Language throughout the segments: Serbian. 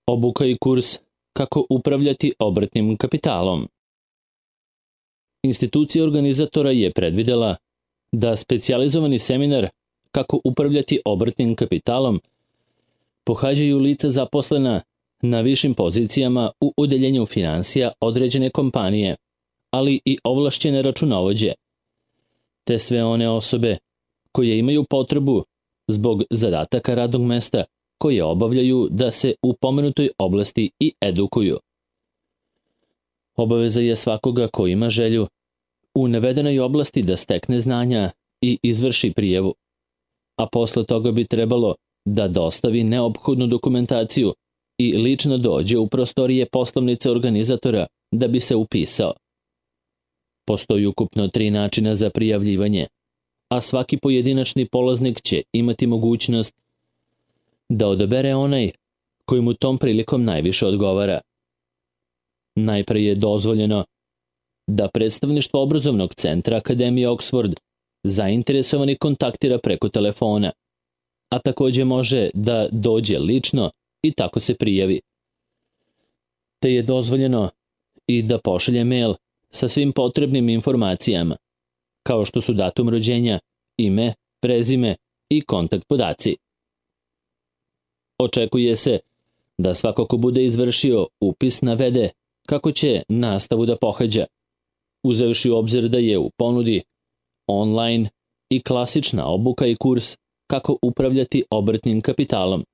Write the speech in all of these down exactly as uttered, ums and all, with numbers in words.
Obuka i kurs kako upravljati obrtnim kapitalom. Institucija organizatora je predvidela da specijalizovani seminar kako upravljati obrtnim kapitalom pohađaju lica zaposlena na višim pozicijama u odeljenju finansija određene kompanije, ali i ovlašćene računovođe, te sve one osobe koje imaju potrebu zbog zadataka radnog mesta koje obavljaju da se u pomenutoj oblasti i edukuju. Obaveza je svakoga ko ima želju u navedenoj oblasti da stekne znanja i izvrši prijavu, a posle toga bi trebalo da dostavi neophodnu dokumentaciju i lično dođe u prostorije poslovnice organizatora da bi se upisao. Postoji ukupno tri načina za prijavljivanje, a svaki pojedinačni polaznik će imati mogućnost da odabere onaj koji mu tom prilikom najviše odgovara. Najpre je dozvoljeno da predstavništvo obrazovnog centra Akademije Oxford zainteresovani kontaktira preko telefona, a takođe može da dođe lično i tako se prijavi. Te je dozvoljeno i da pošalje mail sa svim potrebnim informacijama, kao što su datum rođenja, ime, prezime i kontakt podaci. Očekuje se da svako ko bude izvršio upis navede kako će nastavu da pohađa, uzevši u obzir da je u ponudi online i klasična obuka i kurs kako upravljati obrtnim kapitalom,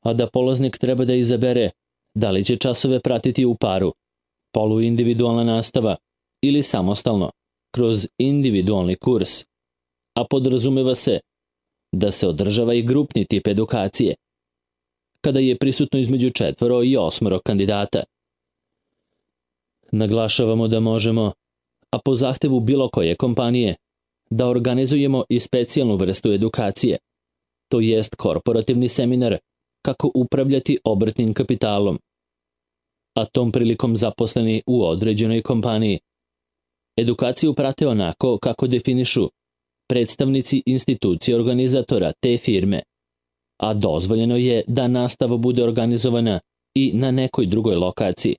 a da polaznik treba da izabere da li će časove pratiti u paru, poluindividualna nastava ili samostalno, kroz individualni kurs, a podrazumeva se da se održava i grupni tip edukacije, kada je prisutno između četvoro i osmoro kandidata. Naglašavamo da možemo, a po zahtevu bilo koje kompanije, da organizujemo i specijalnu vrstu edukacije, to jest korporativni seminar kako upravljati obrtnim kapitalom, a tom prilikom zaposleni u određenoj kompaniji edukaciju prate onako kako definišu predstavnici institucije organizatora te firme, a dozvoljeno je da nastava bude organizovana i na nekoj drugoj lokaciji,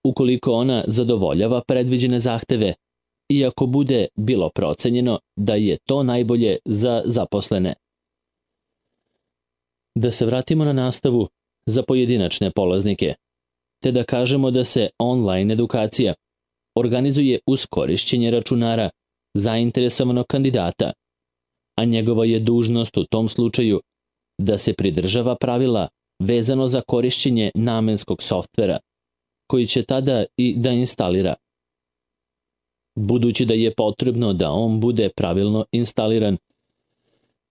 ukoliko ona zadovoljava predviđene zahteve, iako bude bilo procenjeno da je to najbolje za zaposlene. Da se vratimo na nastavu za pojedinačne polaznike, te da kažemo da se online edukacija organizuje uz korišćenje računara zainteresovanog kandidata, a njegova je dužnost u tom slučaju da se pridržava pravila vezano za korišćenje namenskog softvera, koji će tada i da instalira. Budući da je potrebno da on bude pravilno instaliran,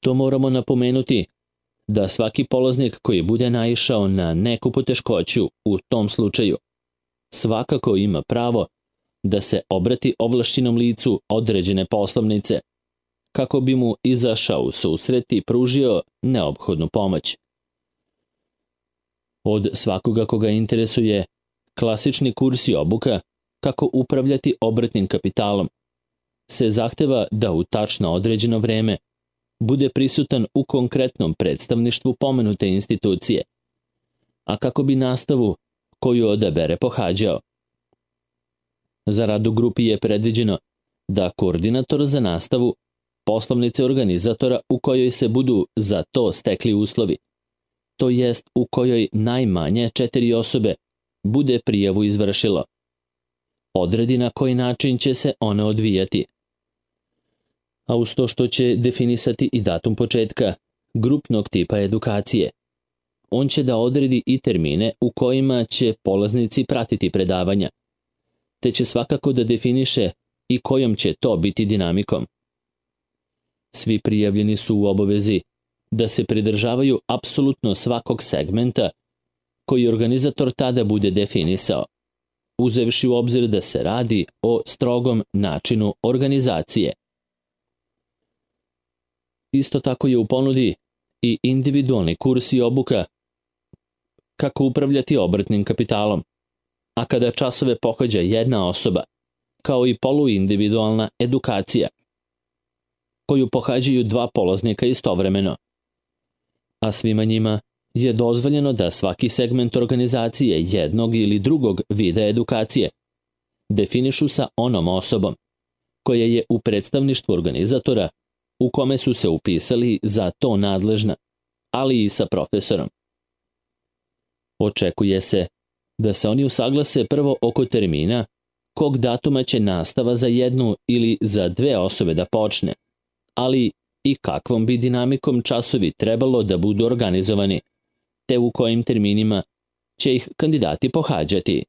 to moramo napomenuti da svaki polaznik koji bude naišao na neku poteškoću u tom slučaju svakako ima pravo da se obrati ovlašćenom licu određene poslovnice, kako bi mu izašao u susret i pružio neophodnu pomoć. Od svakoga koga interesuje klasični kurs i obuka kako upravljati obrtnim kapitalom se zahteva da u tačno određeno vreme bude prisutan u konkretnom predstavništvu pomenute institucije, a kako bi nastavu koju odabere pohađao. Za rad u grupi je predviđeno da koordinator za nastavu poslovnice organizatora u kojoj se budu za to stekli uslovi, to jest u kojoj najmanje četiri osobe bude prijavu izvršilo, odredi na koji način će se ona odvijati, a uz to što će definisati i datum početka grupnog tipa edukacije, on će da odredi i termine u kojima će polaznici pratiti predavanja, te će svakako da definiše i kojom će to biti dinamikom. Svi prijavljeni su u obavezi da se pridržavaju apsolutno svakog segmenta koji organizator tada bude definisao, uzevši u obzir da se radi o strogom načinu organizacije. Isto tako je u ponudi i individualni kurs i obuka kako upravljati obrtnim kapitalom, a kada časove pohađa jedna osoba, kao i poluindividualna edukacija, koju pohađaju dva polaznika istovremeno, a svima njima je dozvoljeno da svaki segment organizacije jednog ili drugog vida edukacije definišu sa onom osobom koja je u predstavništvu organizatora u kome su se upisali za to nadležna, ali i sa profesorom. Očekuje se da se oni usaglase prvo oko termina kog datuma će nastava za jednu ili za dve osobe da počne, ali i kakvom bi dinamikom časovi trebalo da budu organizovani, te u kojim terminima će ih kandidati pohađati.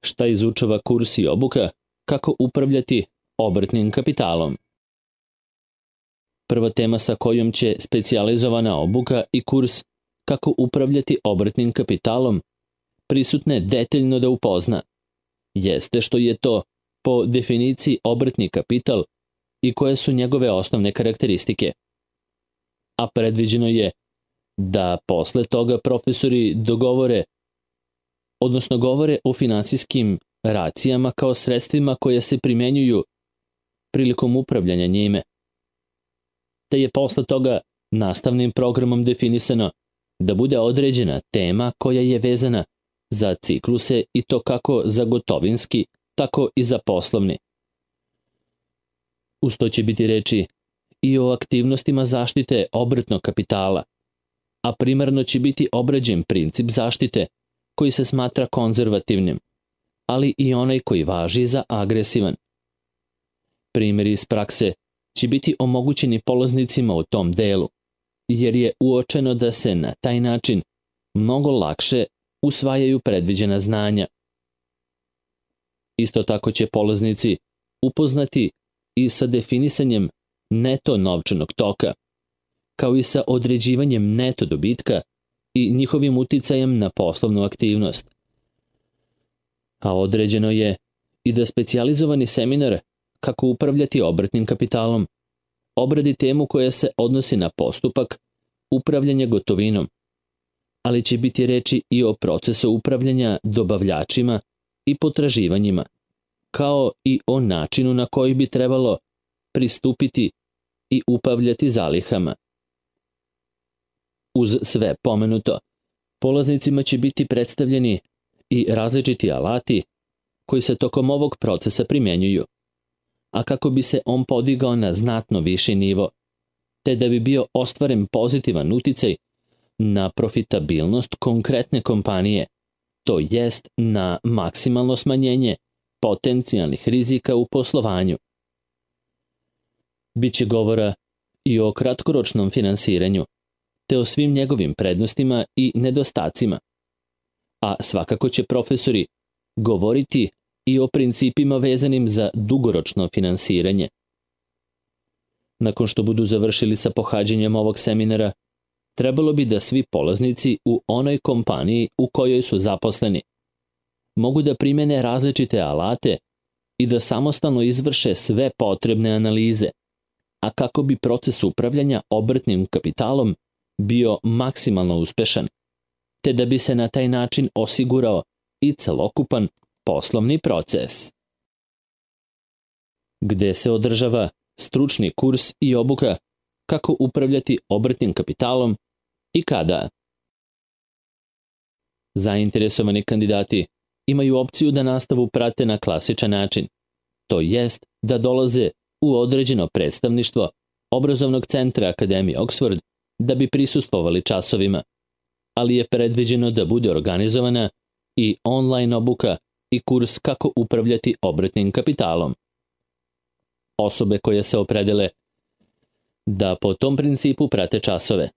Šta izučava kurs i obuka kako upravljati obrtnim kapitalom? Prva tema sa kojom će specijalizovana obuka i kurs kako upravljati obrtnim kapitalom prisutne detaljno da upozna, jeste što je to po definiciji obrtni kapital i koje su njegove osnovne karakteristike. A predviđeno je da posle toga profesori dogovore, odnosno govore o finansijskim racijama kao sredstvima koje se primenjuju prilikom upravljanja njime. Te je posle toga nastavnim programom definisano da bude određena tema koja je vezana za cikluse i to kako za gotovinski, tako i za poslovni. Uz to će biti reči i o aktivnostima zaštite obrtnog kapitala, a primarno će biti obrađen princip zaštite koji se smatra konzervativnim, ali i onaj koji važi za agresivan. Primjeri iz prakse će biti omogućeni polaznicima u tom delu, jer je uočeno da se na taj način mnogo lakše usvajaju predviđena znanja. Isto tako će polaznici upoznati i sa definisanjem neto novčanog toka, kao i sa određivanjem neto dobitka i njihovim uticajem na poslovnu aktivnost. A određeno je i da specijalizovani seminar kako upravljati obrtnim kapitalom obradi temu koja se odnosi na postupak upravljanja gotovinom, ali će biti reči i o procesu upravljanja dobavljačima i potraživanjima, kao i o načinu na koji bi trebalo pristupiti i upravljati zalihama. Uz sve pomenuto, polaznicima će biti predstavljeni i različiti alati koji se tokom ovog procesa primenjuju, a kako bi se on podigao na znatno viši nivo, te da bi bio ostvaren pozitivan uticaj na profitabilnost konkretne kompanije, to jest na maksimalno smanjenje potencijalnih rizika u poslovanju. Biće govora i o kratkoročnom finansiranju, te o svim njegovim prednostima i nedostacima, a svakako će profesori govoriti i o principima vezanim za dugoročno finansiranje. Nakon što budu završili sa pohađanjem ovog seminara, trebalo bi da svi polaznici u onoj kompaniji u kojoj su zaposleni mogu da primene različite alate i da samostalno izvrše sve potrebne analize, a kako bi proces upravljanja obrtnim kapitalom bio maksimalno uspešan, te da bi se na taj način osigurao i celokupan poslovni proces. Gde se održava stručni kurs i obuka kako upravljati obrtnim kapitalom i kada? Zainteresovani kandidati imaju opciju da nastavu prate na klasičan način, to jest da dolaze u određeno predstavništvo obrazovnog centra Akademije Oxford da bi prisustvovali časovima, ali je predviđeno da bude organizovana i online obuka i kurs kako upravljati obrtnim kapitalom. Osobe koje se opredele da po tom principu prate časove,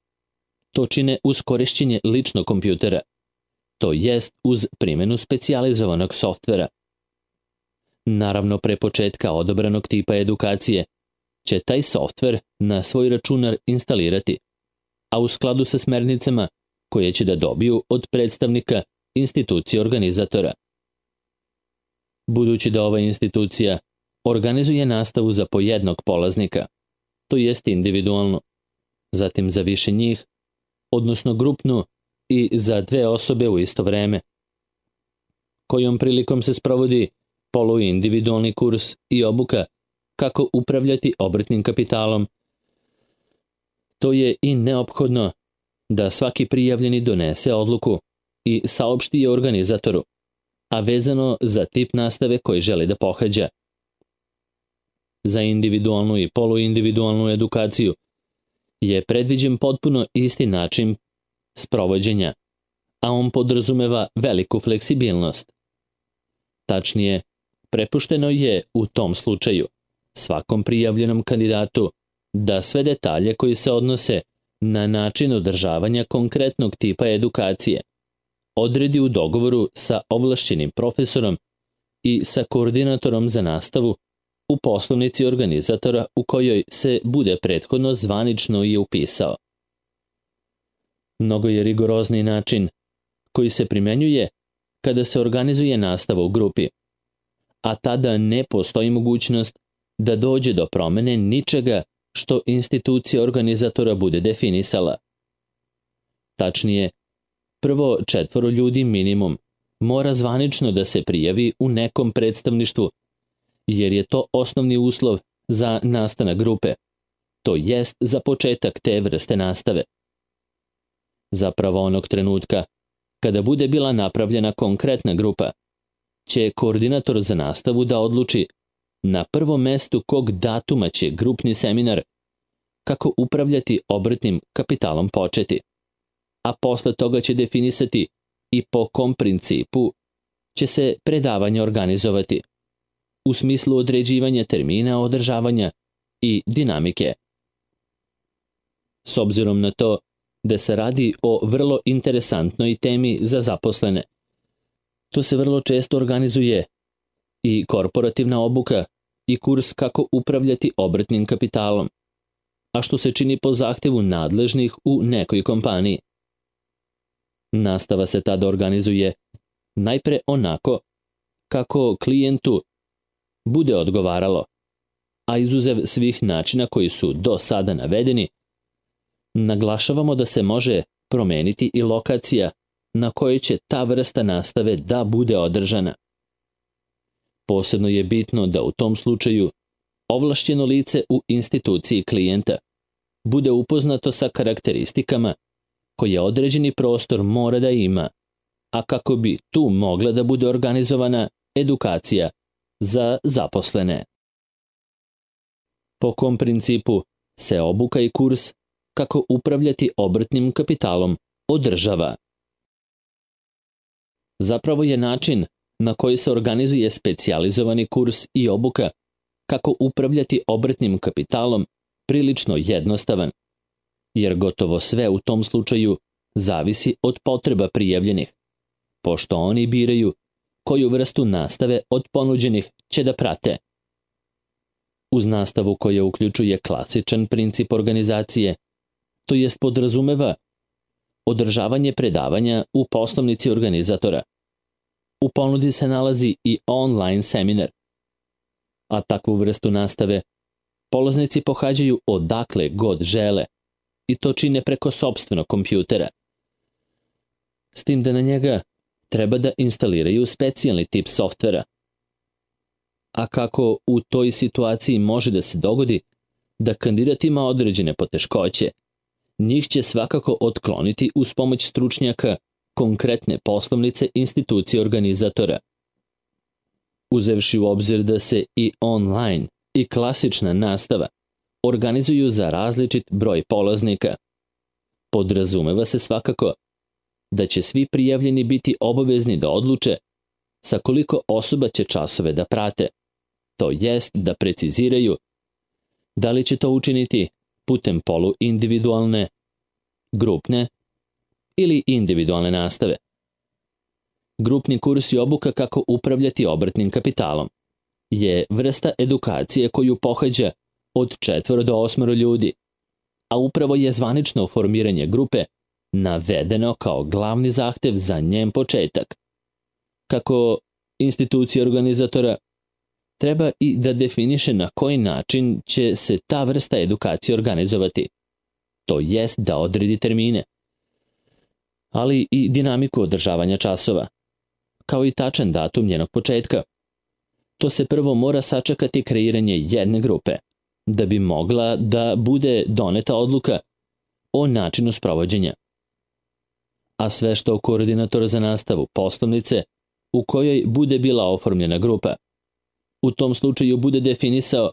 to čine uz korišćenje ličnog kompjutera, to jest uz primjenu specijalizovanog softvera. Naravno, pre početka odobranog tipa edukacije će taj softver na svoj računar instalirati, a u skladu sa smernicama koje će da dobiju od predstavnika institucije organizatora. Budući da ova institucija organizuje nastavu za po jednog polaznika, to jest individualno, zatim za više njih, odnosno grupnu i za dve osobe u isto vreme, kojom prilikom se sprovodi poluindividualni kurs i obuka kako upravljati obrtnim kapitalom. To je i neophodno da svaki prijavljeni donese odluku i saopšti je organizatoru, a vezano za tip nastave koji želi da pohađa. Za individualnu i poluindividualnu edukaciju je predviđen potpuno isti način sprovođenja, a on podrazumeva veliku fleksibilnost. Tačnije, prepušteno je u tom slučaju svakom prijavljenom kandidatu da sve detalje koji se odnose na način održavanja konkretnog tipa edukacije odredi u dogovoru sa ovlašćenim profesorom i sa koordinatorom za nastavu u poslovnici organizatora u kojoj se bude prethodno zvanično i upisao. Mnogo je rigorozniji način koji se primenjuje kada se organizuje nastava u grupi, a tada ne postoji mogućnost da dođe do promene ničega što institucija organizatora bude definisala. Tačnije, prvo četvoro ljudi minimum mora zvanično da se prijavi u nekom predstavništvu, jer je to osnovni uslov za nastanak grupe, to jest za početak te vrste nastave. Zapravo onog trenutka, kada bude bila napravljena konkretna grupa, će koordinator za nastavu da odluči na prvom mestu kog datuma će grupni seminar kako upravljati obrtnim kapitalom početi, a posle toga će definisati i po kom principu će se predavanje organizovati, u smislu određivanja termina održavanja i dinamike. S obzirom na to da se radi o vrlo interesantnoj temi za zaposlene, to se vrlo često organizuje i korporativna obuka i kurs kako upravljati obrtnim kapitalom, a što se čini po zahtevu nadležnih u nekoj kompaniji. Nastava se tada organizuje najpre onako kako klijentu bude odgovaralo, a izuzev svih načina koji su do sada navedeni, naglašavamo da se može promeniti i lokacija na kojoj će ta vrsta nastave da bude održana. Posebno je bitno da u tom slučaju ovlašćeno lice u instituciji klijenta bude upoznato sa karakteristikama koje određeni prostor mora da ima, a kako bi tu mogla da bude organizovana edukacija za zaposlene. Po kom principu se obuka i kurs kako upravljati obrtnim kapitalom održava. Zapravo je način na koji se organizuje specijalizovani kurs i obuka kako upravljati obrtnim kapitalom prilično jednostavan, jer gotovo sve u tom slučaju zavisi od potreba prijavljenih, pošto oni biraju koju vrstu nastave od ponuđenih će da prate. Uz nastavu koja uključuje klasičan princip organizacije, to jest podrazumeva održavanje predavanja u poslovnici organizatora. U ponudi se nalazi i online seminar, a takvu vrstu nastave polaznici pohađaju odakle god žele i to čine preko sopstvenog kompjutera. S tim da na njega treba da instaliraju specijalni tip softvera. A kako u toj situaciji može da se dogodi da kandidat ima određene poteškoće, njih će svakako otkloniti uz pomoć stručnjaka konkretne poslovnice institucije organizatora. Uzevši u obzir da se i online i klasična nastava organizuju za različit broj polaznika, podrazumeva se svakako da će svi prijavljeni biti obavezni da odluče sa koliko osoba će časove da prate, to jest da preciziraju da li će to učiniti putem poluindividualne, grupne ili individualne nastave. Grupni kurs i obuka kako upravljati obrtnim kapitalom je vrsta edukacije koju pohađa od četvoro do osmoro ljudi, a upravo je zvanično formiranje grupe navedeno kao glavni zahtev za njen početak. Kako institucija organizatora treba i da definiše na koji način će se ta vrsta edukacije organizovati, to jest da odredi termine, ali i dinamiku održavanja časova, kao i tačan datum njenog početka. To se prvo mora sačekati kreiranje jedne grupe, da bi mogla da bude doneta odluka o načinu sprovođenja, a sve što koordinator za nastavu poslovnice u kojoj bude bila oformljena grupa. U tom slučaju bude definisao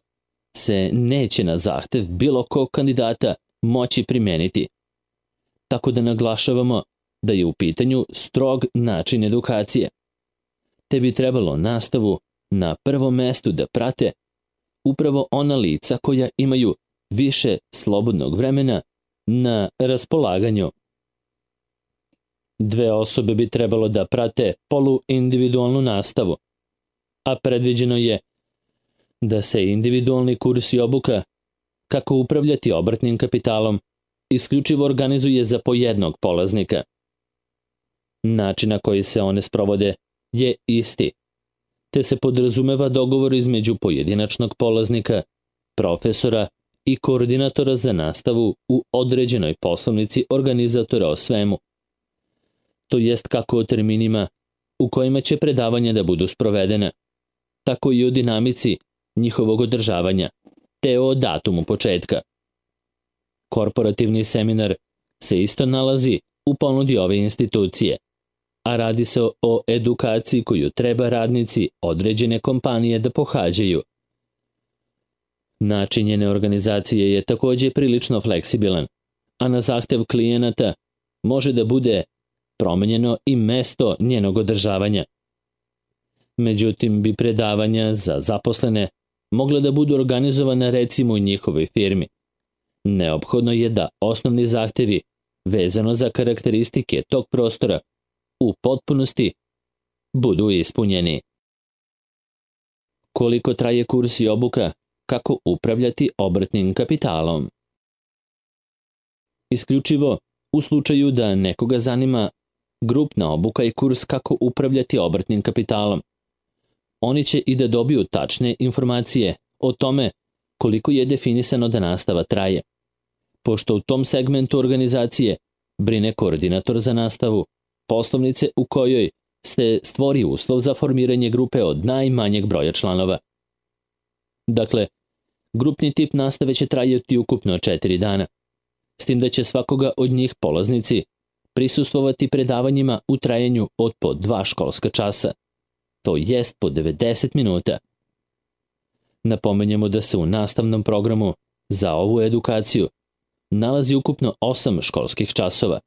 se neće na zahtev bilo kog kandidata moći primeniti. Tako da naglašavamo da je u pitanju strog način edukacije. Te bi trebalo nastavu na prvom mestu da prate upravo ona lica koja imaju više slobodnog vremena na raspolaganju. Dve osobe bi trebalo da prate poluindividualnu nastavu, a predviđeno je da se individualni kurs i obuka kako upravljati obrtnim kapitalom isključivo organizuje za po jednog polaznika. Način na koji se one sprovode je isti, te se podrazumeva dogovor između pojedinačnog polaznika, profesora i koordinatora za nastavu u određenoj poslovnici organizatora o svemu. To jest kako o terminima u kojima će predavanja da budu sprovedene, tako i o dinamici njihovog održavanja, te o datumu početka. Korporativni seminar se isto nalazi u ponudi ove institucije, a radi se o edukaciji koju treba radnici određene kompanije da pohađaju. Način njene organizacije je takođe prilično fleksibilan, a na zahtev klijenata može da bude promenjeno i mesto njenog održavanja. Međutim, bi predavanja za zaposlene mogle da budu organizovane recimo u njihovoj firmi. Neophodno je da osnovni zahtevi vezano za karakteristike tog prostora u potpunosti budu ispunjeni. Koliko traje kurs i obuka kako upravljati obrtnim kapitalom? Isključivo u slučaju da nekoga zanima grupna obuka i kurs kako upravljati obrtnim kapitalom. Oni će i da dobiju tačne informacije o tome koliko je definisano da nastava traje, pošto u tom segmentu organizacije brine koordinator za nastavu poslovnice u kojoj se stvori uslov za formiranje grupe od najmanjeg broja članova. Dakle, grupni tip nastave će trajati ukupno četiri dana, s tim da će svakoga od njih polaznici prisustvovati predavanjima u trajanju od po dva školska časa, to jest po devedeset minuta. Napomenjemo da se u nastavnom programu za ovu edukaciju nalazi ukupno osam školskih časova.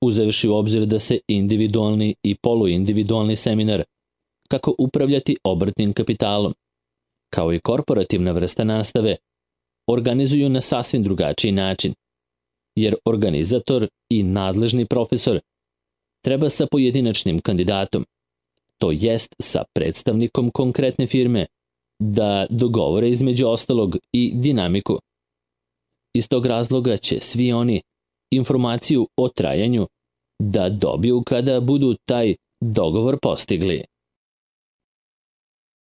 Uzevši u obzir da se individualni i poluindividualni seminar kako upravljati obrtnim kapitalom, kao i korporativna vrsta nastave, organizuju na sasvim drugačiji način, jer organizator i nadležni profesor treba sa pojedinačnim kandidatom, to jest sa predstavnikom konkretne firme, da dogovore između ostalog i dinamiku. Iz tog razloga će svi oni informaciju o trajanju da dobiju kada budu taj dogovor postigli.